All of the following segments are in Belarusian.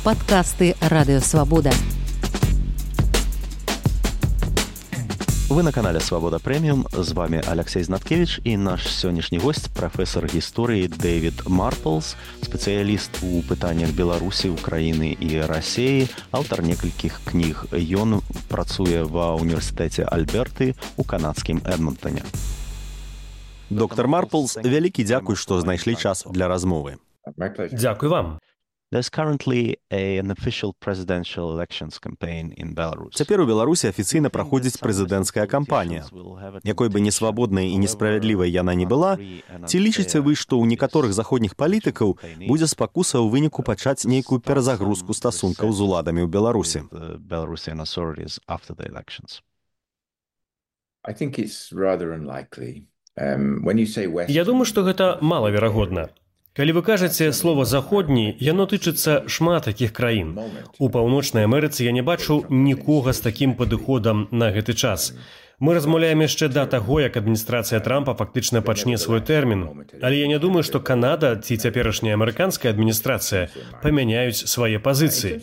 Падкасты Радыёвабода. Вы на канале «Свобода Премиум». З вами Алексей Знаткевич і наш сённяшні гость, прафесор гісторыі Дэвід Марплс, спецыяліст у пытаннях Беларусі, Украіны і Расіі, аўтар некалькіх кніг. Ён працуе ва ўніверсітэце Альберты ў канадскім Эдмонтоне. Доктор Марплс, вялікі дзякуй, што знайшлі час для размовы. Дзякуй вам. There's currently an official presidential elections campaign in Belarus. Цяпер у Беларусі афіцыйна праходзіць прэзідэнцкая кампанія. Якой бы несвабоднай і несправядлівай яна не была, ці лічыце вы, што ў некаторых заходніх палітыкаў будзе спакуса ў выніку пачаць нейкую перазагрузку стасункаў з уладамі ў Беларусі? Я думаю, што гэта малаверагодна. Калі вы кажаце слова «заходні», яно тычыцца шмат такіх краін. У Паўночнай Амерыцы я не бачу нікога з такім падыходам на гэты час. Мы размаўляем яшчэ да таго, як адміністрацыя Трампа фактычна пачне свой тэрмін. Але я не думаю, што Канада ці цяперашняя амерыканская адміністрацыя памяняюць свае пазіцыі.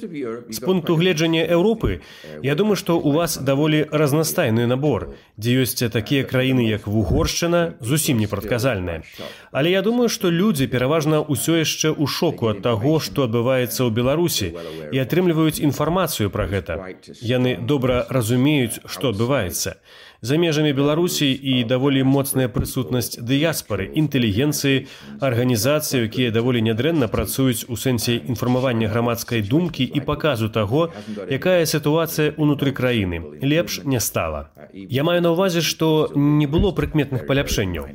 З пункту гледжання Еўропы, я думаю, што ў вас даволі разнастайны набор, дзе ёсць такія краіны, як Вугоршчына, зусім непрадказальныя. Але я думаю, што людзі пераважна ўсё яшчэ ў шоку ад таго, што адбываецца ў Беларусі, і атрымліваюць інфармацыю пра гэта. Яны добра разумеюць, што адбываецца. За межамі Беларусі і даволі моцная прысутнасць дыяспары, інтэлігенцыі, арганізацый, якія даволі нядрэнна працуюць у сэнсе інфармавання грамадскай думкі і паказу таго, якая сітуацыя ўнутры краіны. Лепш не стала. Я маю на ўвазе, што не было прыкметных паляпшэнняў.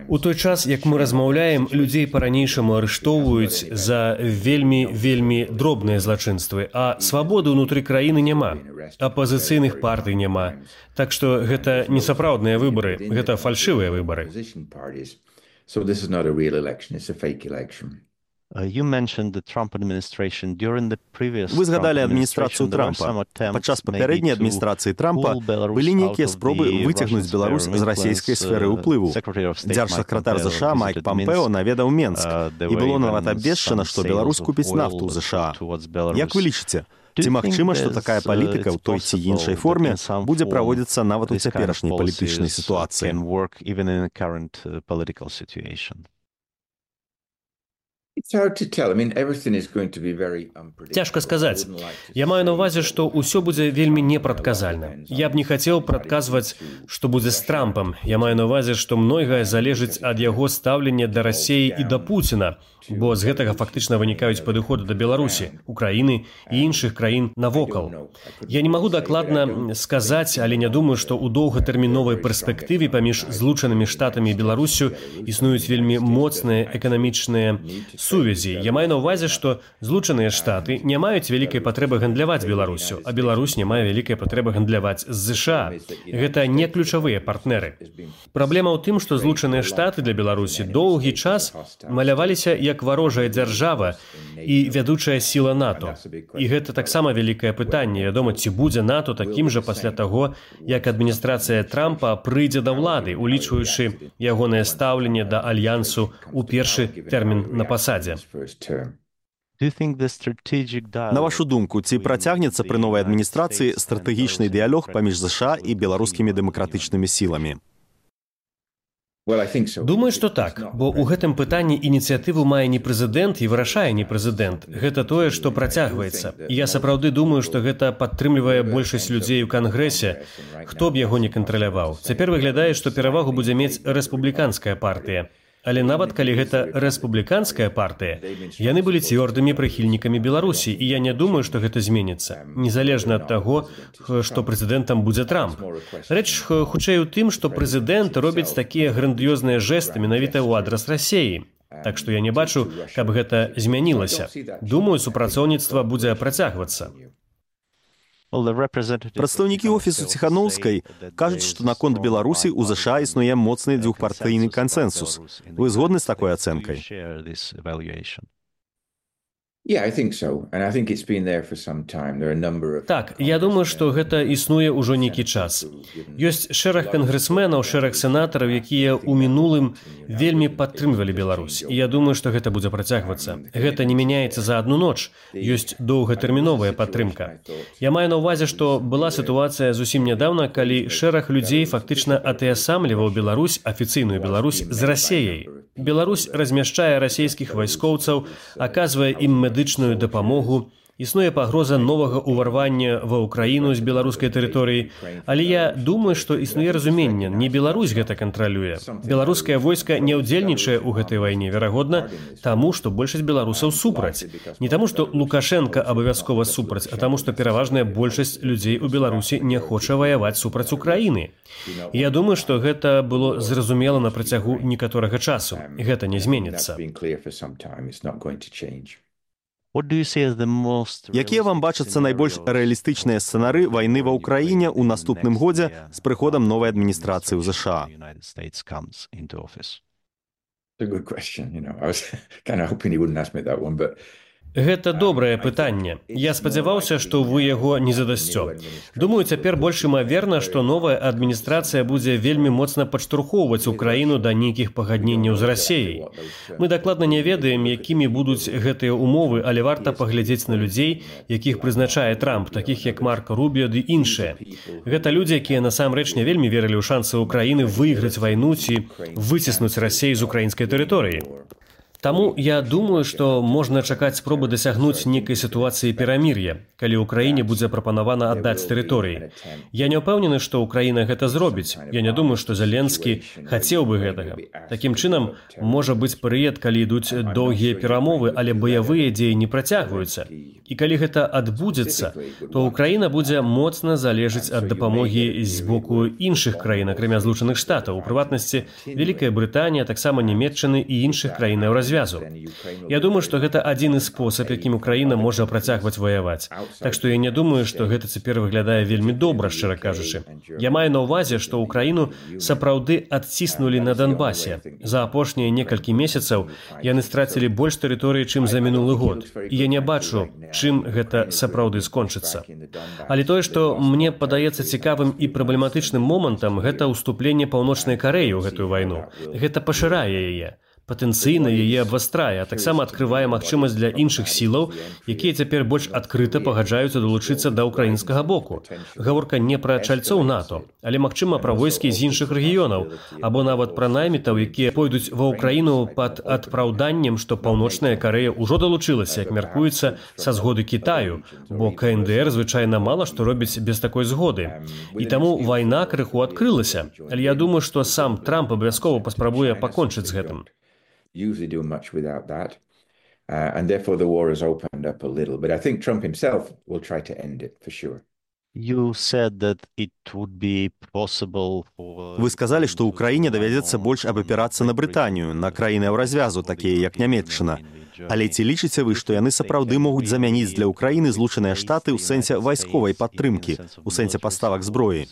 У той час, як мы размаўляем, людзей па-ранейшаму арыштоўваюць за вельмі дробныя злачынствы, а свабоды ўнутры краіны няма. Апазіцыйных партый няма. Так што гэта не сапраўдныя выбары, гэта фальшывыя выбары. Вы згадалі адміністрацыю Трампа. Падчас папярэдняй адміністрацыі Трампа былі нейкія спробы выцягнуць Беларусь з расійскай сферы ўплыву. Дзяржсакратар ЗША Майк Пампео наведаў Менск, і было нават абвешчана, што Беларусь купіць нафту ў ЗША. Як вы лічыце? Ці магчыма, што такая палітыка ў той ці іншай форме будзе праводзіцца нават у цяперашняй палітычнай сітуацыі? Цяжка сказаць. Я маю на ўвазе, што ўсё будзе вельмі непрадказальна. Я б не хацеў прадказваць, што будзе з Трампам. Я маю на ўвазе, што многае залежыць ад яго стаўлення да Расіі і да Пуціна, бо з гэтага фактычна вынікаюць падыходы да Беларусі, Украіны і іншых краін навокал. Я не магу дакладна сказаць, але не думаю, што ў доўгатэрміновай перспектыве паміж Злучанымі Штатамі і Беларусю існуюць вельмі моцныя эканамічныя сувязі. Я маю на ўвазе, што Злучаныя Штаты не маюць вялікай патрэбы гандляваць Беларусю, а Беларусь не мае вялікай патрэбы гандляваць з ЗША. Гэта не ключавыя партнеры. Праблема ў тым, што Злучаныя Штаты для Беларусі доўгі час маляваліся як варожая дзяржава і вядучая сіла НАТО. І гэта таксама вялікае пытанне. Вядома, ці будзе НАТО такім жа пасля таго, як адміністрацыя Трампа прыйдзе да ўлады, улічваючы ягонае стаўленне да альянсу ў першы тэрмін на пасадзе. На вашу думку, ці працягнецца пры новай адміністрацыі стратэгічны дыялог паміж ЗША і беларускімі дэмакратычнымі сіламі? Думаю, што так, бо ў гэтым пытанні ініцыятыву мае не прэзідэнт і вырашае не прэзідэнт. Гэта тое, што працягваецца. І я сапраўды думаю, што гэта падтрымлівае большасць людзей у Кангрэсе, хто б яго не кантраляваў. Цяпер выглядае, што перавагу будзе мець рэспубліканская партыя. Але нават калі гэта рэспубліканская партыя, яны былі цвёрдымі прыхільнікамі Беларусі, і я не думаю, што гэта зменіцца, незалежна ад таго, што прэзідэнтам будзе Трамп. Рэч хутчэй у тым, што прэзідэнт робіць такія грандыёзныя жэсты менавіта ў адрас Расіі. Так што я не бачу, каб гэта змянілася. Думаю, супрацоўніцтва будзе працягвацца. Прадстаўнікі офісу Ціханаўскай кажуць, што наконт Беларусі ў ЗША існуе моцны двухпартыйны кансэнсус. Вы згодны з такой ацэнкай? Так, я думаю, што гэта існуе ўжо нейкі час. Ёсць шэраг кангрэсменаў, шэраг сенатараў, якія ў мінулым вельмі падтрымлівалі Беларусь. І я думаю, што гэта будзе працягвацца. Гэта не мяняецца за адну ноч. Ёсць доўгатэрміновая падтрымка. Я маю на ўвазе, што была сітуацыя зусім нядаўна, калі шэраг людзей фактычна атаясамліваў Беларусь, афіцыйную Беларусь, з Расеяй. Беларусь размяшчае расейскіх вайскоўцаў, аказвае ім медычную дапамогу, існуе пагроза новага ўварвання ва ўкраіну з беларускай тэрыторыі, але я думаю, што існуе разуменне, не Беларусь гэта кантралюе. Беларускае войска не ўдзельнічае ў гэтай вайне, верагодна, таму, што большасць беларусаў супраць. Не таму, што Лукашенка абавязкова супраць, а таму, што пераважная большасць людзей у Беларусі не хоча ваяваць супраць Украіны. І я думаю, што гэта было зразумела на працягу некаторага часу. Гэта не зменіцца. Якія вам бачацца найбольш рэалістычныя сцэнары вайны ва ўкраіне ў наступным годзе з прыходам новай адміністрацыі ў ЗША? Гэта добрае пытанне. Я спадзяваўся, што вы яго не задасцё. Думаю, цяпер больш імаверна, што новая адміністрацыя будзе вельмі моцна падштурхоўваць Украіну да нейкіх пагадненняў з Расеяй. Мы дакладна не ведаем, якімі будуць гэтыя умовы, але варта паглядзець на людзей, якіх прызначае Трамп, такіх як Марко Рубіо ды іншыя. Гэта людзі, якія насамрэч не вельмі верылі ў шансы Украіны выйграць вайну ці выціснуць Расею з украінскай тэрыторыі. Таму я думаю, што можна чакаць спробы дасягнуць нейкай сітуацыі перамір'я, калі ўкраіне будзе прапанавана аддаць тэрыторыі. Я не ўпэўнены, што ўкраіна гэта зробіць. Я не думаю, што Зеленскі хацеў бы гэтага. Такім чынам, можа быць перыяд, калі ідуць доўгія перамовы, але баявыя дзеі не працягваюцца. І калі гэта адбудзецца, то ўкраіна будзе моцна залежыць ад дапамогі з боку іншых краін, акрамя Злучаных Штатаў, у прыватнасці Вялікая Брытанія, таксама Нямецчыны і іншых краінаў развязу. Я думаю, што гэта адзіны спосаб, якім Украіна можа працягваць ваяваць. Так што я не думаю, што гэта цяпер выглядае вельмі добра, шчыра кажучы. Я маю на ўвазе, што Украіну сапраўды адціснулі на Донбасе. За апошнія некалькі месяцаў яны страцілі больш тэрыторыі, чым за мінулы год. І я не бачу, чым гэта сапраўды скончыцца. Але тое, што мне падаецца цікавым і праблематычным момантам, гэта ўступленне Паўночнай Карэі ў гэтую вайну. Гэта пашырае яе. Патэнцыйна яе абвастрае, а таксама адкрывае магчымасць для іншых сілаў, якія цяпер больш адкрыта пагаджаюцца далучыцца да ўкраінскага боку. Гаворка не пра чальцоў НАТО, але, магчыма, пра войскі з іншых рэгіёнаў, або нават пра наймітаў, якія пойдуць ва ўкраіну пад адпраўданнем, што Паўночная Карэя ўжо далучылася, як мяркуецца, са згоды Кітаю, бо КНДР звычайна мала што робіць без такой згоды. І таму вайна крыху адкрылася. Але я думаю, што сам Трамп абавязкова паспрабуе пакончыць з гэтым. Usually do much without that. And therefore the war has opened up a little. But I think Trump himself will try to end it, for sure. Вы сказалі, што ўкраіне давядзецца больш абапірацца на Брытанію, на краіны ў развязу, такія як Нямецчына. Але ці лічыце вы, што яны сапраўды могуць замяніць для Ўкраіны Злучаныя Штаты ў сэнсе вайсковай падтрымкі, у сэнсе паставак зброі?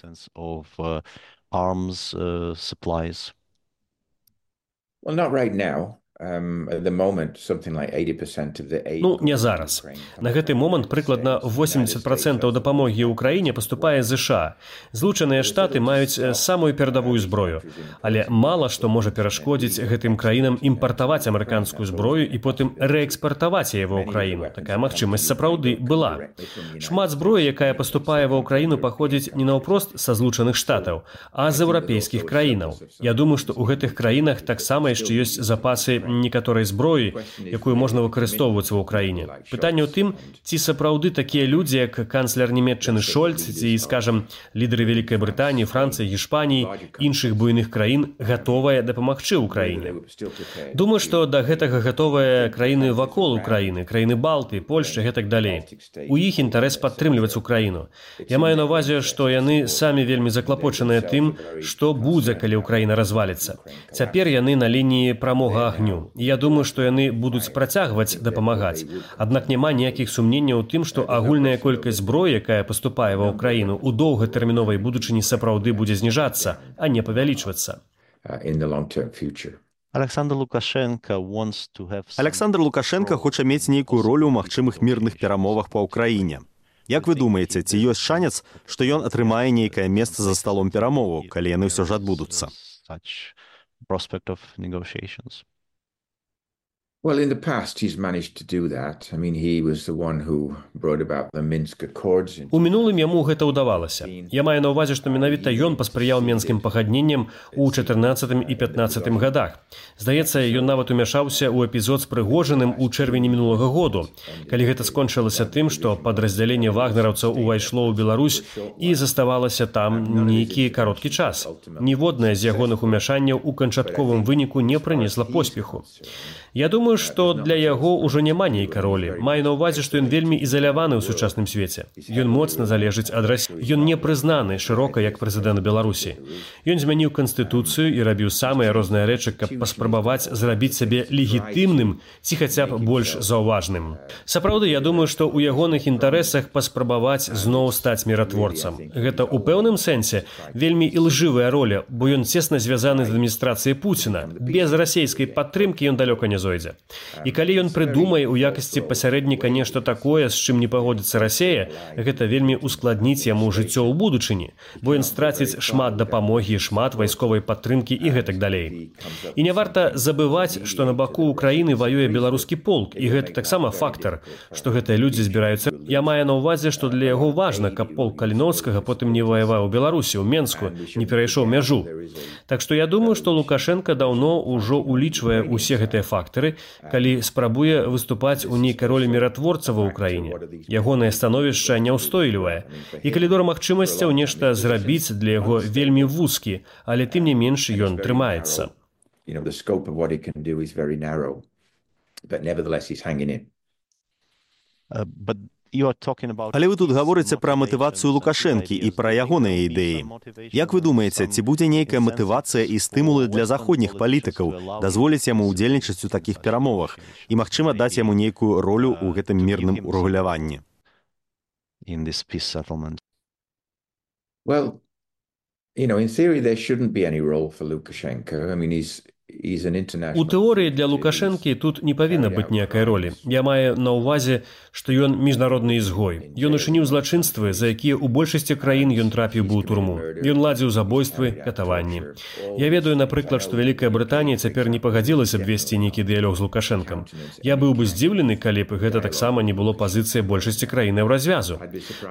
Well, not right now. At the moment, something like 80% of the aid... Ну, не зараз. На гэты момант прыкладна 80% дапамогі ўкраіне паступае з ЗША. Злучаныя Штаты маюць самую перадавую зброю, але мала што можа перашкодзіць гэтым краінам імпартаваць амерыканскую зброю і потым рээкспартаваць яе ва ўкраіну. Такая магчымасць сапраўды была. Шмат зброі, якая паступае ва ўкраіну, паходзіць не наўпрост са Злучаных Штатаў, а з еўрапейскіх краінаў. Я думаю, што ў гэтых краінах таксама яшчэ ёсць запасы некаторай зброі, якую можна выкарыстоўваць ва ўкраіне. Пытанне ў тым, ці сапраўды такія людзі, як канцлер Нямецчыны Шольц, ці, скажам, лідары Вялікай Брытаніі, Францыі, Гішпаніі, іншых буйных краін гатовыя дапамагчы ўкраіне. Думаю, што да гэтага гатовыя краіны вакол Украіны, краіны Балты, Польшчы, гэтак далей. У іх інтарэс падтрымліваць Украіну. Я маю на ўвазе, што яны самі вельмі заклапочаныя тым, што будзе, калі Украіна разваліцца. Цяпер яны на лініі прамога агню. Я думаю, што яны будуць працягваць дапамагаць. Аднак няма ніякіх сумненняў у тым, што агульная колькасць зброі, якая паступае ва ўкраіну, у доўгатэрміновай будучыні сапраўды будзе зніжацца, а не павялічвацца. Александр Лукашенко хоча мець нейкую ролю ў магчымых мірных перамовах па ўкраіне. Як вы думаеце, ці ёсць шанец, што ён атрымае нейкае месца за сталом перамоваў, калі яны ўсё ж адбудуцца? Well, in the past, he's managed to do that. I mean, he was the one who brought about the Minsk Accords. У мінулым яму гэта ўдавалася. Я маю на ўвазе, што менавіта ён паспрыяў менскім пагадненням у 14 і 15 годах. Здаецца, ён нават умяшаўся ў эпізод з Прыгожыным у чэрвені мінулага году, калі гэта скончылася тым, што падраздзяленне вагнераўцаў увайшло ў Беларусь і заставалася там нейкі кароткі час. Ніводнае з ягоных умяшанняў у канчатковым выніку не прынесла поспеху. Я думаю, што для яго ўжо няма нейкай ролі. Маю на ўвазе, што ён вельмі ізаляваны ў сучасным свеце. Ён моцна залежыць ад Расіі. Ён не прызнаны шырока як прэзідэнт Беларусі. Ён змяніў канстытуцыю і рабіў самыя розныя рэчы, каб паспрабаваць зрабіць сябе легітымным ці хаця б больш заўважным. Сапраўды, я думаю, што ў ягоных інтарэсах паспрабаваць зноў стаць міратворцам. Гэта ў пэўным сэнсе вельмі ілжывая роля, бо ён цесна звязаны з адміністрацыяй Пуціна. Без расейскай падтрымкі ён далёка не зойдзе. І калі ён прыдумае ў якасці пасярэдніка нешта такое, з чым не пагодзіцца Расія, гэта вельмі ускладніць яму жыццё ў будучыні, бо ён страціць шмат дапамогі, шмат вайсковай падтрымкі і гэтак далей. І не варта забываць, што на баку Украіны ваюе беларускі полк, і гэта таксама фактар, што гэтыя людзі збіраюцца. Я маю на ўвазе, што для яго важна, каб полк Каліноўскага потым не ваяваў у Беларусі, у Менску, не перайшоў мяжу. Так што я думаю, што Лукашенка даўно ўжо улічвае ўсе гэтыя фактары, калі спрабуе выступаць у нейкай ролі міратворца ва ўкраіне. Ягонае становішча няўстойлівае. І калідор магчымасцяў нешта зрабіць для яго вельмі вузкі, але тым не менш ён трымаецца. Але вы тут гаворыце пра матывацыю Лукашэнкі і пра ягоныя ідэі. Як вы думаеце, ці будзе нейкая матывацыя і стымулы для заходніх палітыкаў дазволіць яму ўдзельнічаць у такіх перамовах і, магчыма, даць яму нейкую ролю ў гэтым мірным урэгуляванні? Well, in theory there shouldn't be any role for Lukashenko. I mean, У тэорыі для Лукашэнкі тут не павінна быць ніякай ролі. Я маю на ўвазе, што ён міжнародны ізгой. Ён учыніў злачынствы, за якія ў большасці краін ён трапіў бы ў турму. Ён ладзіў забойствы, катаванні. Я ведаю, напрыклад, што Вялікая Брытанія цяпер не пагадзілася б весці нейкі дыялог з Лукашэнкам. Я быў бы здзіўлены, калі б гэта таксама не было пазіцыяй большасці краінаў развязу.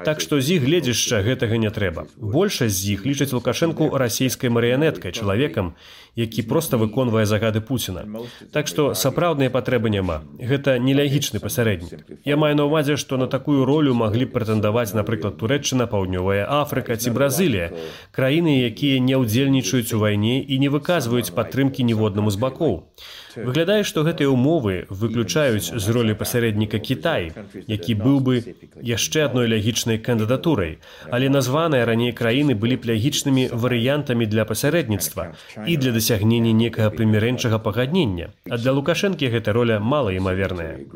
Так што з іх гледзяшча гэтага не трэба. Большасць з іх лічаць Лукашэнку расійскай марыянеткай, чалавекам, які проста выконвае загады Пуціна. Так што сапраўднай патрэбы няма. Гэта нелягічны пасярэднік. Я маю на ўвазе, што на такую ролю маглі б прэтэндаваць, напрыклад, Турэччына, Паўднёвая Афрыка ці Бразылія, краіны, якія не ўдзельнічаюць у вайне і не выказваюць падтрымкі ніводнаму з бакоў. Выглядае, што гэтыя ўмовы выключаюць з ролі пасярэдніка Кітай, які быў бы яшчэ адной лягічнай кандыдатурай, але названыя раней краіны былі б лягічнымі варыянтамі для пасярэдніцтва і для дасягнення некага прымірэнчага пагаднення. А для Лукашэнкі гэта роля малаімаверная.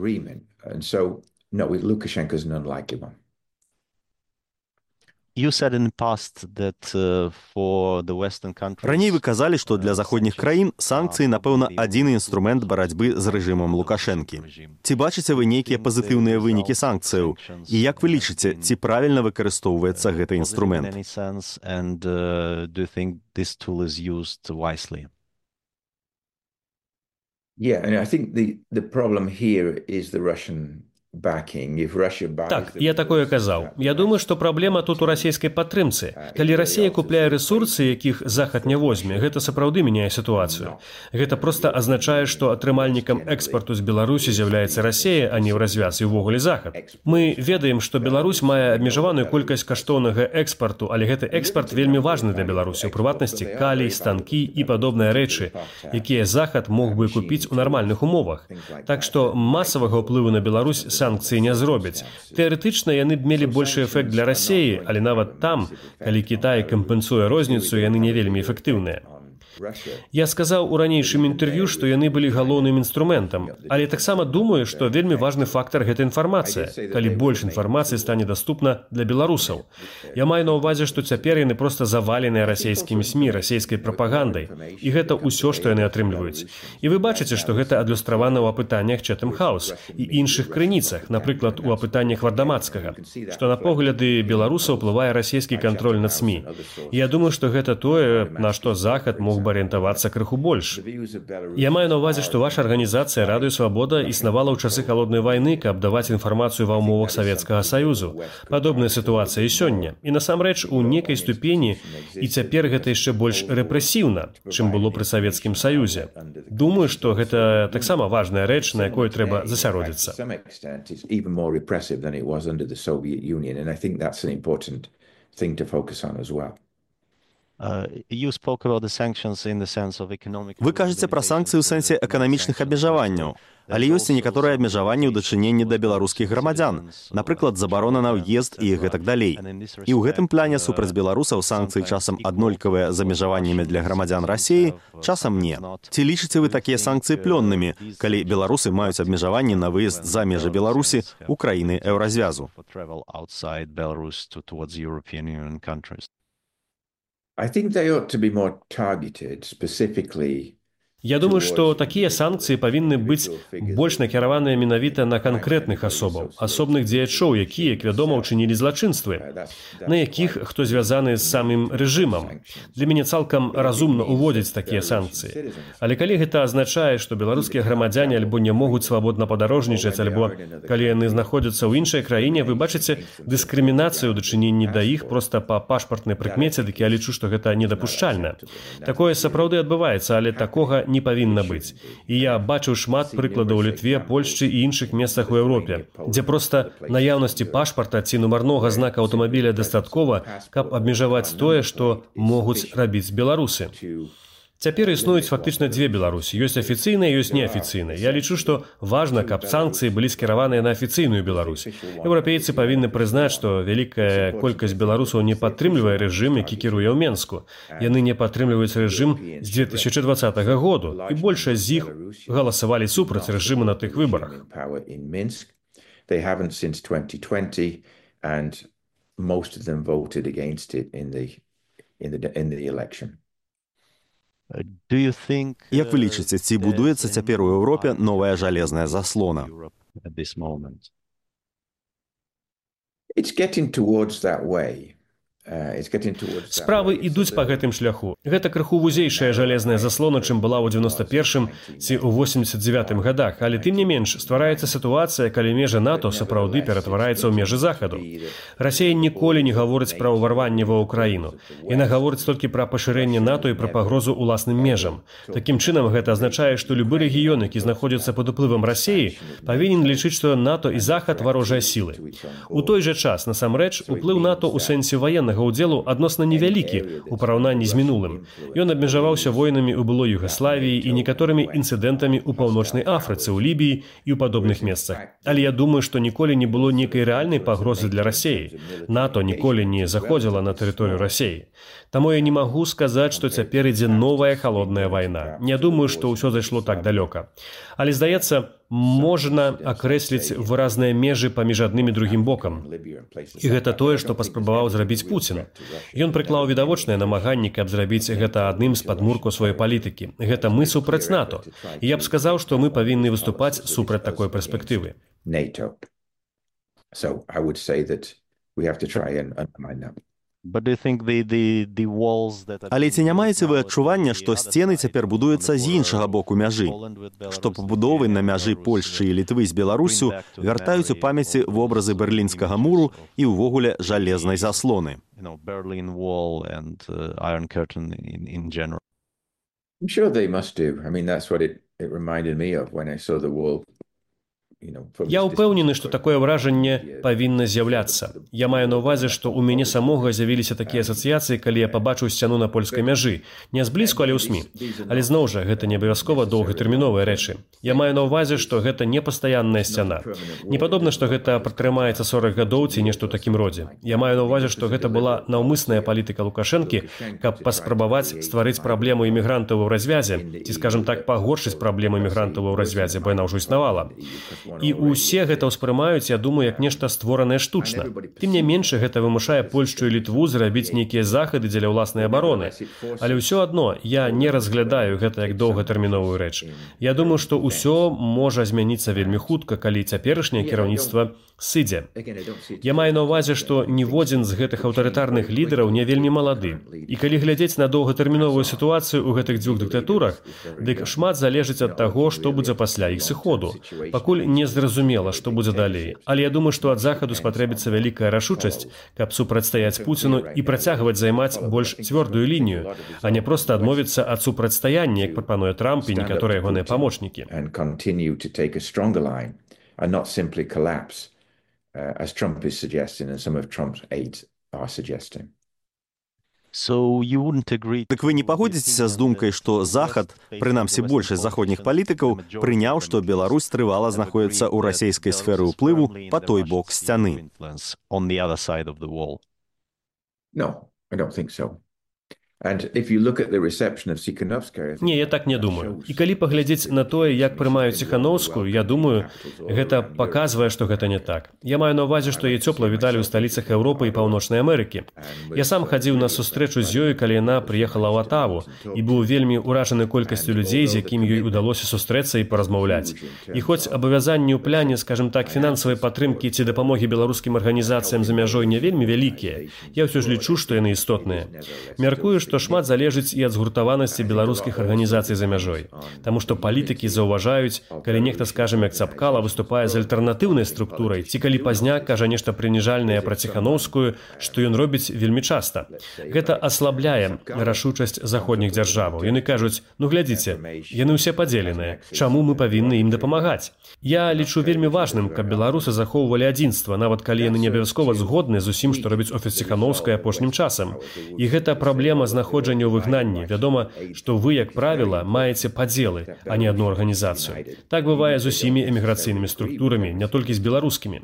Раней вы казалі, што для заходніх краін санкцыі, напэўна, адзіны інструмент барацьбы з рэжымам Лукашэнкі. Ці бачыце вы нейкія пазітыўныя вынікі санкцыяў? І як вы лічыце, ці правільна выкарыстоўваецца гэты інструмент? Yeah, and I think the problem here is the Russian Так, я такое казаў. Я думаю, што праблема тут у расійскай падтрымцы. Калі Расія купляе рэсурсы, якіх Захад не возьме, гэта сапраўды мяняе сітуацыю. Гэта проста азначае, што атрымальнікам экспарту з Беларусі з'яўляецца Расія, а не ў развяз і ўвогуле Захад. Мы ведаем, што Беларусь мае абмежаваную колькасць каштоўнага экспарту, але гэты экспарт вельмі важны для Беларусі, у прыватнасці калій, станкі і падобныя рэчы, якія Захад мог бы купіць у нармальных умовах. Так што масавага ўплыву на Беларусь санкцыі не зробяць. Тэарэтычна яны б мелі большы эфект для Расіі, але нават там, калі Кітай кампенсуе розніцу, яны не вельмі эфектыўныя. Я сказаў у ранейшым інтэрв'ю, што яны былі галоўным інструментам, але таксама думаю, што вельмі важны фактар гэта інфармацыя, калі больш інфармацыі стане даступна для беларусаў. Я маю на ўвазе, што цяпер яны проста заваленыя расійскімі СМІ, расійскай прапагандай, і гэта ўсё, што яны атрымліваюць. І вы бачыце, што гэта адлюстравана ў апытаннях Chatham House і іншых крыніцах, напрыклад, у апытаннях Вардамацкага, што на погляды беларусаў уплывае расійскі кантроль над СМІ. Я думаю, што гэта тое, на што Захад мог бы арыентавацца крыху больш. Я маю на ўвазе, што ваша арганізацыя «Радыё Свабода» існавала ў часы халоднай вайны, каб даваць інфармацыю ва ўмовах Савецкага Саюзу. Падобная сітуацыя і сёння. І насамрэч, у некай ступені і цяпер гэта яшчэ больш рэпрэсіўна, чым было пры Савецкім Саюзе. Думаю, што гэта таксама важная рэч, на якой трэба засяродзіцца. Thing to focus on as well. Вы кажаце пра санкцыі ў сэнсе эканамічных абмежаванняў, але ёсць і некаторыя абмежаванні ў дачыненні да беларускіх грамадзян, напрыклад, забарона на ўезд і гэтак далей. І ў гэтым плане супраць беларусаў санкцыі часам аднолькавыя з абмежаваннямі для грамадзян Расіі, часам не. Ці лічыце вы такія санкцыі плённымі, калі беларусы маюць абмежаванні на выезд за межы Беларусі ў краіны Еўразвязу? I think they ought to be more targeted specifically. Я думаю, што такія санкцыі павінны быць больш накіраваныя менавіта на канкрэтных асобаў, асобных дзеячоў, якія, як вядома, учынілі злачынствы, на якіх хто звязаны з самым рэжымам. Для мяне цалкам разумна ўводзіць такія санкцыі. Але калі гэта азначае, што беларускія грамадзяне альбо не могуць свабодна падарожнічаць, альбо калі яны знаходзяцца ў іншай краіне, вы бачыце дыскрымінацыю ў дачыненні да іх проста па пашпартнай прыкмеце, дык я лічу, што гэта недапушчальна. Такое сапраўды адбываецца, але такога не павінна быць. І я бачыў шмат прыкладаў у Літве, Польшчы і іншых месцах у Еўропе, дзе проста наяўнасці пашпарта ці нумарнога знака аўтамабіля дастаткова, каб абмежаваць тое, што могуць рабіць беларусы. Цяпер існуюць фактычна дзве Беларусі. Ёсць афіцыйная, ёсць неафіцыйная. Я лічу, што важна, каб санкцыі былі скіраваныя на афіцыйную Беларусь. Еўрапейцы павінны прызнаць, што вялікая колькасць беларусаў не падтрымлівае рэжым, які кіруе ў Менску. Яны не падтрымліваюць рэжым з 2020 году, і большасць з іх галасавалі супраць рэжыму на тых выбарах. They haven't since 2020, and most of them voted against it in the election. Як вы лічыце, ці будуецца цяпер у Еўропе новая жалезная заслона? It's getting towards that way. Справы ідуць па гэтым шляху. Гэта крыху вузейшая жалезная заслона, чым была ў 91-м ці ў 89-м гадах, але тым не менш ствараецца сітуацыя, калі межы НАТО сапраўды ператвараецца ў межы Захаду. Расія ніколі не гаворыць пра ўварванне ва ўкраіну. Яна гаворыць толькі пра пашырэнне НАТО і пра пагрозу ўласным межам. Такім чынам гэта азначае, што любы рэгіён, які знаходзіцца пад уплывам Расіі, павінен лічыць, што НАТО і Захад варожыя сілы. У той жа час, насамрэч, уплыў НАТО ў сэнсе ваеннага ўдзелу адносна невялікі ў параўнанні з мінулым. Ён абмежаваўся войнамі ў былой Югаславіі і некаторымі інцыдэнтамі ў Паўночнай Афрыцы, ў Лібіі і ў падобных месцах. Але я думаю, што ніколі не было нейкай рэальнай пагрозы для Расіі. НАТО ніколі не заходзіла на тэрыторыю Расіі. Таму я не магу сказаць, што цяпер ідзе новая халодная вайна. Не думаю, што ўсё зайшло так далёка. Але, здаецца, можна акрэсліць выразныя межы паміж адным і другім бокам. І гэта тое, што паспрабаваў зрабіць Пуцін. Ён прыклаў відавочныя намаганні, каб зрабіць гэта адным з падмуркаў сваёй палітыкі. Гэта мы супраць НАТО. І я б сказаў, што мы павінны выступаць супраць такой перспектывы. So I would say that we have to try and undermine them. Але ці не маеце вы адчування, што сцены цяпер будуюцца з іншага боку мяжы? Што пабудовы на мяжы Польшчы і Літвы з Беларусю вяртаюць у памяці вобразы Берлінскага муру і ўвогуле жалезнай заслоны? I'm sure they must do. I mean, that's what it reminded me of when I saw the wall Я ўпэўнены, што такое ўражанне павінна з'яўляцца. Я маю на ўвазе, што ў мяне самога з'явіліся такія асацыяцыі, калі я пабачыў сцяну на польскай мяжы. Не зблізку, але ў СМІ. Але зноў жа, гэта не абавязкова доўгатэрміновыя рэчы. Я маю на ўвазе, што гэта не пастаянная сцяна. Не падобна, што гэта пратрымаецца 40 гадоў ці нешта ў такім родзе. Я маю на ўвазе, што гэта была наўмысная палітыка Лукашэнкі, каб паспрабаваць стварыць праблему імігрантаў у развязе, ці, скажам так, пагоршыць праблему імігрантаў у развязе, бо яна ўжо існавала. І ўсе гэта ўспрымаюць, я думаю, як нешта створанае штучна. Тым не менш, гэта вымушае Польшчу і Літву зрабіць нейкія захады дзеля ўласнай абароны. Але ўсё адно я не разглядаю гэта як доўгатэрміновую рэч. Я думаю, што ўсё можа змяніцца вельмі хутка, калі цяперашняе кіраўніцтва сыдзе. Я маю на ўвазе, што ніводзін з гэтых аўтарытарных лідараў не вельмі малады. І калі глядзець на доўгатэрміновую сітуацыю ў гэтых дзвюх дыктатурах, дык шмат залежыць ад таго, што будзе пасля іх сыходу. Пакуль не зразумела, што будзе далей. Але я думаю, што ад захаду спатрэбіцца вялікая рашучасць, каб супрацьстаяць Пуціну і працягваць займаць больш цвёрдую лінію, а не проста адмовіцца ад супрацьстаяння, як прапануе Трамп і некаторыя ягоныя памочнікі. As Trump is suggesting and some of Trump's aides are suggesting. Так вы не пагодзіцеся з думкай, што Захад, прынамсі большасць заходніх палітыкаў, прыняў, што Беларусь трывала знаходзіцца ў расейскай сферы ўплыву па той бок сцяны? No, I don't think so. Не, я так не думаю. І калі паглядзець на тое, як прымаюць Ціханаўскую, я думаю, гэта паказвае, што гэта не так. Я маю на ўвазе, што яе цёпла віталі ў сталіцах Еўропы і Паўночнай Амерыкі. Я сам хадзіў на сустрэчу з ёй, калі яна прыехала ў Атаву, і быў вельмі ўражаны колькасцю людзей, з якімі ёй удалося сустрэцца і паразмаўляць. І хоць абавязанні ў пляне, скажам так, фінансавай падтрымкі ці дапамогі беларускім арганізацыям за мяжой не вельмі вялікія, я ўсё ж лічу, што яны істотныя. Мяркую, што шмат залежыць і ад згуртаванасці беларускіх арганізацый за мяжой. Таму што палітыкі заўважаюць, калі нехта, скажам, як Цапкала, выступае з альтэрнатыўнай структурай, ці калі пазняк кажа нешта прыніжальнае пра Ціханаўскую, што ён робіць вельмі часта. Гэта аслабляе рашучасць заходніх дзяржаваў. Яны кажуць, ну глядзіце, яны ўсе падзеленыя, чаму мы павінны ім дапамагаць? Я лічу вельмі важным, каб беларусы захоўвалі адзінства, нават калі яны не абавязкова згодны з усім, што робіць офіс Ціханаўскай апошнім часам. І гэта праблема знаходжання ў выгнанні. Вядома, што вы, як правіла, маеце падзелы, а не адну арганізацыю. Так бывае з усімі эміграцыйнымі структурамі, не толькі з беларускімі.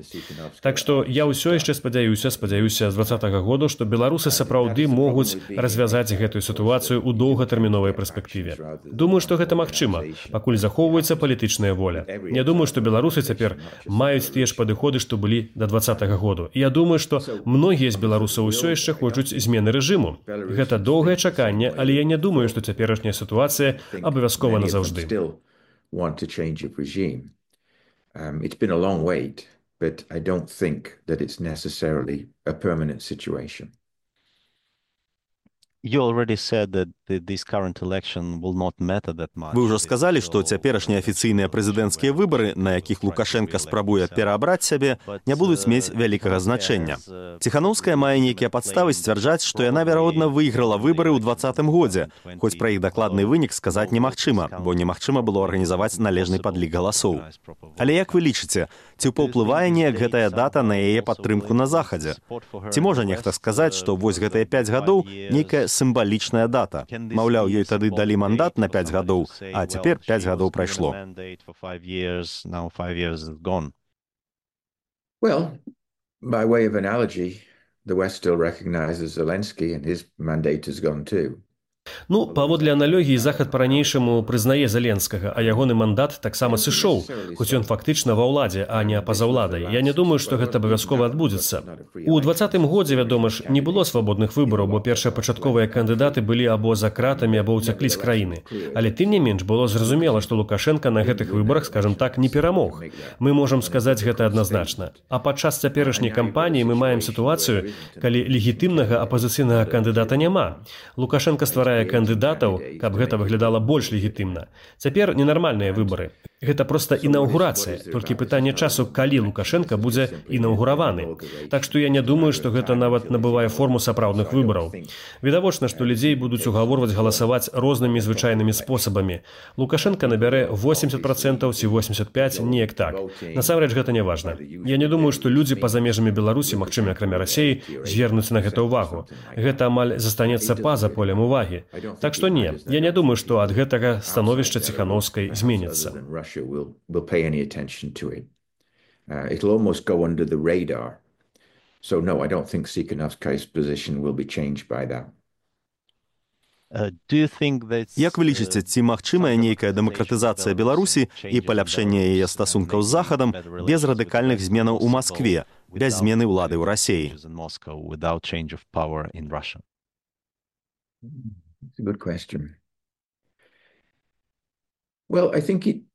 Так што я ўсё яшчэ спадзяюся з 2020 году, што беларусы сапраўды могуць развязаць гэтую сітуацыю ў доўгатэрміновай перспектыве. Думаю, што гэта магчыма, пакуль захоўваецца палітычная воля. Я думаю, што беларусы цяпер маюць тыя ж падыходы, што былі да 2020 году. І я думаю, што многія з беларусаў усё яшчэ хочуць змены рэжыму. Гэта доўгае чаканне, але я не думаю, што цяперашняя сітуацыя абавязкова назаўжды. It's been a long wait, but I don't think that it's necessarily a permanent situation. Вы ўжо сказалі, што цяперашнія афіцыйныя прэзідэнцкія выбары, на якіх Лукашенка спрабуе пераабраць сябе, не будуць мець вялікага значэння. Ціханаўская мае нейкія падставы сцвярджаць, што яна, верагодна, выйграла выбары ў 2020 годзе, хоць пра іх дакладны вынік сказаць немагчыма, бо немагчыма было арганізаваць належны падлік галасоў. Але як вы лічыце, ці паўплывае неяк гэтая дата на яе падтрымку на Захадзе? Ці можа нехта сказаць, што вось гэтыя 5 гадоў нейкая сімвалічная дата? Маўляў, ёй тады далі мандат на 5 гадоў, а цяпер 5 гадоў прайшло. Well, by way of analogy, the West still recognizes Zelensky and his mandate has gone too. Ну, паводле аналогіі, Захад па-ранейшаму прызнае Зеленскага, а ягоны мандат таксама сышоў, хоць ён фактычна ва ўладзе, а не па-за ўладай. Я не думаю, што гэта абавязкова адбудзецца. У 2020 годзе, вядома ж, не было свабодных выбараў, бо першапачатковыя кандыдаты былі або за кратамі, або ўцяклі з краіны. Але тым не менш было зразумела, што Лукашенка на гэтых выбарах, скажам так, не перамог. Мы можам сказаць гэта адназначна. А падчас цяперашняй кампаніі мы маем сітуацыю, калі легітымнага апазіцыйнага кандыдата няма. Лукашенка стварае кандыдатаў, каб гэта выглядала больш легітымна. Цяпер ненармальныя выбары. Гэта проста інаўгурацыя, толькі пытанне часу, калі Лукашенка будзе інаўгураваны. Так што я не думаю, што гэта нават набывае форму сапраўдных выбараў. Відавочна, што людзей будуць угаворваць галасаваць рознымі звычайнымі спосабамі. Лукашенка набярэ 80% ці 85%, неяк так. Насамрэч гэта не важна. Я не думаю, што людзі па-за межамі Беларусі, магчыма, акрамя Расіі, звернуць на гэта ўвагу. Гэта амаль застанецца па-за полем увагі. Так што не, я не думаю, што ад гэтага становішча Ціханаўскай зменіцца. Will pay any attention to it. It'll almost go under the radar. So no, I don't think Tsikhanouskay's position will be changed by that. Як вы лічыце, ці магчымая нейкая дэмакратызацыя Беларусі і паляпшэнне яе стасункаў з Захадам без радыкальных зменаў у Маскве, без змены ўлады ў Расіі? That's a good question. Well, I think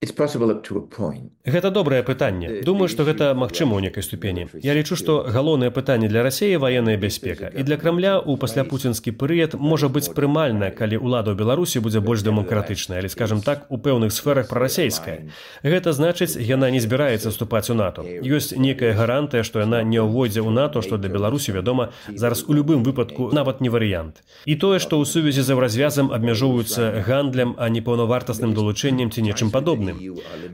it's possible up to a point. Гэта добрае пытанне. Думаю, што гэта магчыма ў некай ступені. Я лічу, што галоўнае пытанне для Расіі ваенная бяспека. І для Крамля ў пасляпуцінскі перыяд можа быць прымальна, калі ўлада ў Беларусі будзе больш дэмакратычная, але, скажам так, у пэўных сферах прарасейская. Гэта значыць, яна не збіраецца вступаць у НАТО. Ёсць некая гарантыя, што яна не ўвойдзе ў НАТО, што для Беларусі, вядома, зараз у любым выпадку нават не варыянт. І тое, што ў сувязі з еўразвязам абмяжоўваюцца гандлем, а не паўнавартасным далучэннем ці нечым падобным.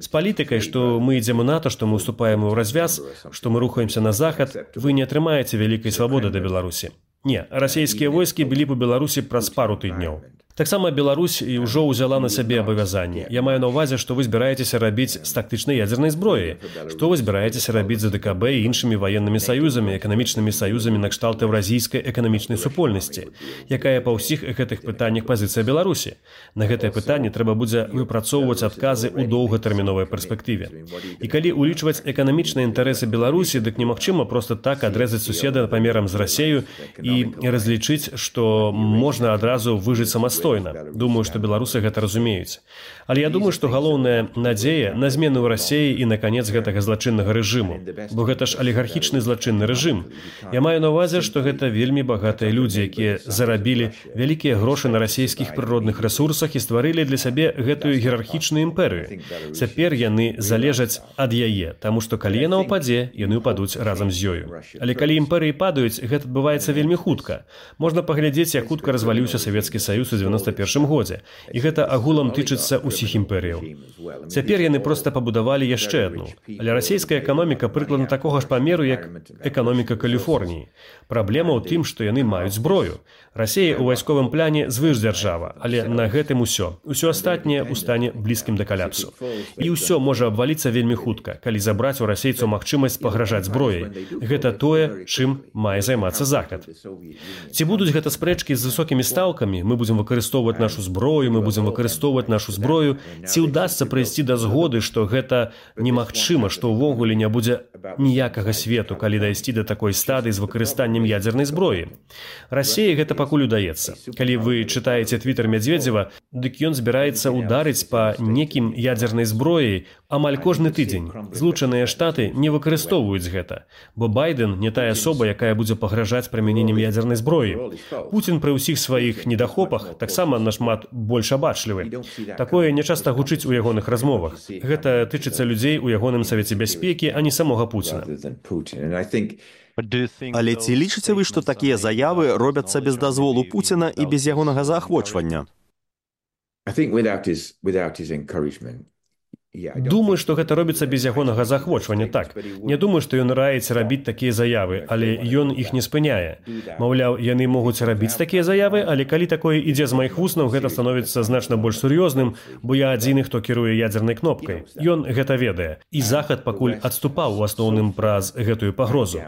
З палітыкай, што мы ідзем у НАТО, што мы ўступаем у развяз, што мы рухаемся на захад, вы не атрымаеце вялікай свабоды да Беларусі. Не, расійскія войскі былі б у Беларусі праз пару тыдняў. Таксама Беларусь і ўжо ўзяла на сябе абавязанні. Я маю на ўвазе, што вы збіраецеся рабіць з тактычнай ядзернай зброі, што вы збіраецеся рабіць з АДКБ і іншымі ваеннымі саюзамі, эканамічнымі саюзамі на кшталт еўразійскай эканамічнай супольнасці, якая па ўсіх гэтых пытаннях пазіцыя Беларусі. На гэтае пытанне трэба будзе выпрацоўваць адказы ў доўгатэрміновай перспектыве. І калі ўлічваць эканамічныя інтарэсы Беларусі, дык немагчыма проста так адрэзаць суседа памерам з Расею і разлічыць, што можна адразу выжыць самастойна. Думаю, што беларусы гэта разумеюць. Але я думаю, што галоўная надзея на змену ў Расіі і на канец гэтага злачыннага рэжыму. Бо гэта ж алігархічны злачынны рэжым. Я маю на ўвазе, што гэта вельмі багатыя людзі, якія зарабілі вялікія грошы на расійскіх прыродных рэсурсах і стварылі для сябе гэтую іерархічную імперыю. Цяпер яны залежаць ад яе, таму што калі яна ўпадзе, яны ўпадуць разам з ёю. Але калі імперыі падаюць, гэта адбываецца вельмі хутка. Можна паглядзець, як хутка разваліўся Савецкі Саюз у 91 годзе. І гэта агулам тычыцца ўсіх імперыяў. Цяпер яны проста пабудавалі яшчэ адну. Але расійская эканоміка прыкладна такога ж памеру, як эканоміка Каліфорніі. Праблема ў тым, што яны маюць зброю. Расія ў вайсковым пляне звышдзяржава, але на гэтым усё. Усё астатняе ў стане блізкім да каляпсу. І ўсё можа абваліцца вельмі хутка, калі забраць у расейцаў магчымасць пагражаць зброяй. Гэта тое, чым мае займацца Захад. Ці будуць гэта спрэчкі з высокімі стаўкамі, мы будзем выкарыстоўваць нашу зброю, ці ўдасца прыйсці да згоды, што гэта немагчыма, што ўвогуле не будзе ніякага свету, калі дайсці да такой стадыі з выкарыстаннем ядзернай зброі. Расіі гэта пакуль удаецца. Калі вы чытаеце твітер Медведзева, дык ён збіраецца ударыць па некім ядзернай зброі амаль кожны тыдзень. Злучаныя Штаты не выкарыстоўваюць гэта, бо Байден не тая асоба, якая будзе пагражаць прымяненнем ядзернай зброі. Пуцін пры ўсіх сваіх недахопах таксама нашмат больш абачлівы. Такое нечаста гучыць у ягоных размовах. Гэта тычыцца людзей у ягоным Савеце бяспекі, а не самога Пуціна. Але ці лічыце вы, што такія заявы робяцца без дазволу Пуціна і без ягонага заахвочвання? Думаю, што гэта робіцца без ягонага заахвочвання, так. Не думаю, што ён раіць рабіць такія заявы, але ён іх не спыняе. Маўляў, яны могуць рабіць такія заявы, але калі такое ідзе з маіх вуснаў, гэта становіцца значна больш сур'ёзным, бо я адзіны, хто кіруе ядзернай кнопкай. Ён гэта ведае. І Захад пакуль адступаў у асноўным праз гэтую пагрозу.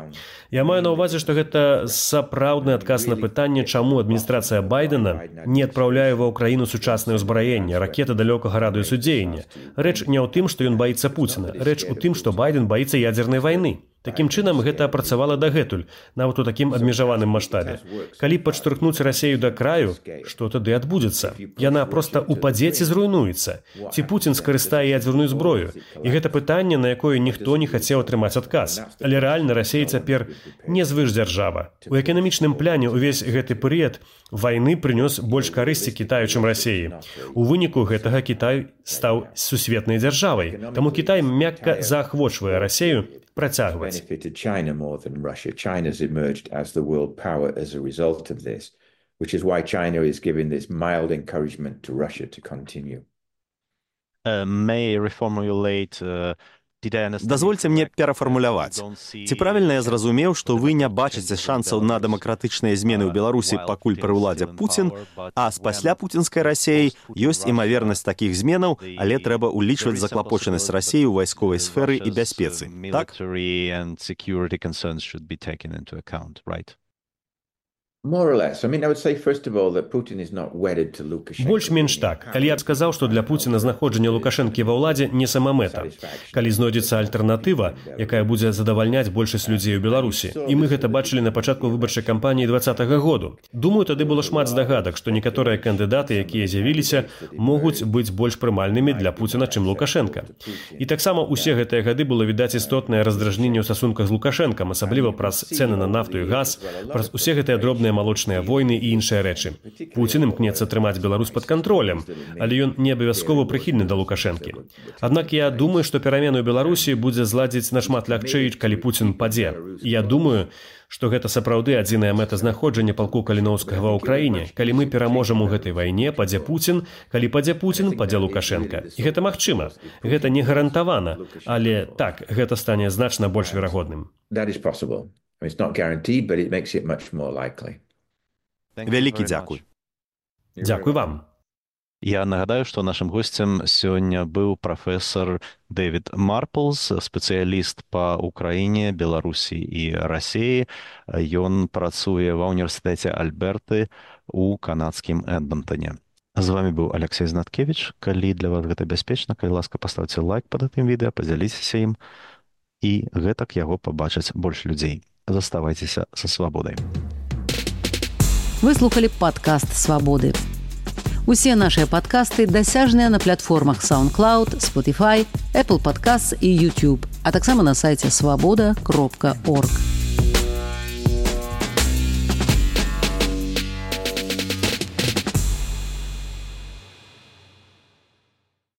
Я маю на ўвазе, што гэта сапраўдны адказ на пытанне, чаму адміністрацыя Байдена не адпраўляе ва ўкраіну сучаснае ўзбраенне, ракеты далёкага радыусу дзеяння. Рэч не ў тым, што ён баіцца Пуціна. Рэч у тым, што Байден баіцца ядзернай вайны. Такім чынам, гэта працавала дагэтуль, нават у такім абмежаваным маштабе. Калі падштурхнуць Расею да краю, што тады адбудзецца? Яна проста упадзе ці зруйнуецца. Ці Пуцін скарыстае ядзерную зброю? І гэта пытанне, на якое ніхто не хацеў атрымаць адказ. Але рэальна Расея цяпер не звышдзяржава. У эканамічным пляне ўвесь гэты перыяд вайны прынёс больш карысці Кітаю, чым Расеі. У выніку гэтага Кітай стаў сусветнай дзяржавай. Таму Кітай мякка заахвочвае Расею працягваць. China's emerged as the world power as a result of this, which is why China is giving this mild encouragement to Russia to continue. May I reformulate Дазвольце мне перафармуляваць. Ці правільна я зразумеў, што вы не бачыце шансаў на дэмакратычныя змены ў Беларусі, пакуль пры ўладзе Пуцін, а з пасля пуцінскай Расеі ёсць імавернасць такіх зменаў, але трэба ўлічваць заклапочанасць Расеі ў вайсковай сферы і бяспецы. Так? Больш-менш так. Калі я б сказаў, што для Пуціна знаходжанне Лукашэнкі ва ўладзе не самамэта. Калі знойдзецца альтэрнатыва, якая будзе задавальняць большасць людзей у Беларусі. І мы гэта бачылі на пачатку выбарчай кампаніі 2020 году. Думаю, тады было шмат здагадак, што некаторыя кандыдаты, якія з'явіліся, могуць быць больш прымальнымі для Пуціна, чым Лукашэнка. І таксама ўсе гэтыя гады было відаць істотнае раздражненне ў стасунках з Лукашэнкам, асабліва праз цэны на нафту і газ, праз усе гэтыя дробныя малочныя войны і іншыя рэчы. Пуцін імкнецца трымаць Беларусь пад кантролем, але ён не абавязкова прыхільны да Лукашэнкі. Аднак я думаю, што перамены ў Беларусі будзе зладзіць нашмат лягчэй, калі Пуцін падзе. Я думаю, што гэта сапраўды адзіная мэта знаходжання палку Каліноўскага ва ўкраіне. Калі мы пераможам у гэтай вайне, падзе Пуцін, калі падзе Пуцін, падзе Лукашэнка. І гэта магчыма. Гэта не гарантавана, але так, гэта стане значна больш верагодным. Вялікі дзякуй. Дзякуй вам. Я нагадаю, што нашым госцем сёння быў прафесар Дэвід Марплс, спецыяліст па Украіне, Беларусі і Расеі. Ён працуе ва ўніверсітэце Альберты ў канадскім Эдмонтоне. З вами быў Алексей Знаткевіч. Калі для вас гэта бяспечна, калі ласка, паставце лайк пад гэтым відэа, падзяліцеся ім, і гэтак яго пабачаць больш людзей. Заставайцеся са свабодай. Вы слухали падкаст «Свабоды». Усе нашыя падкасты дасяжныя на платформах SoundCloud, Spotify, Apple Podcasts і YouTube, а таксама на сайце swaboda.org.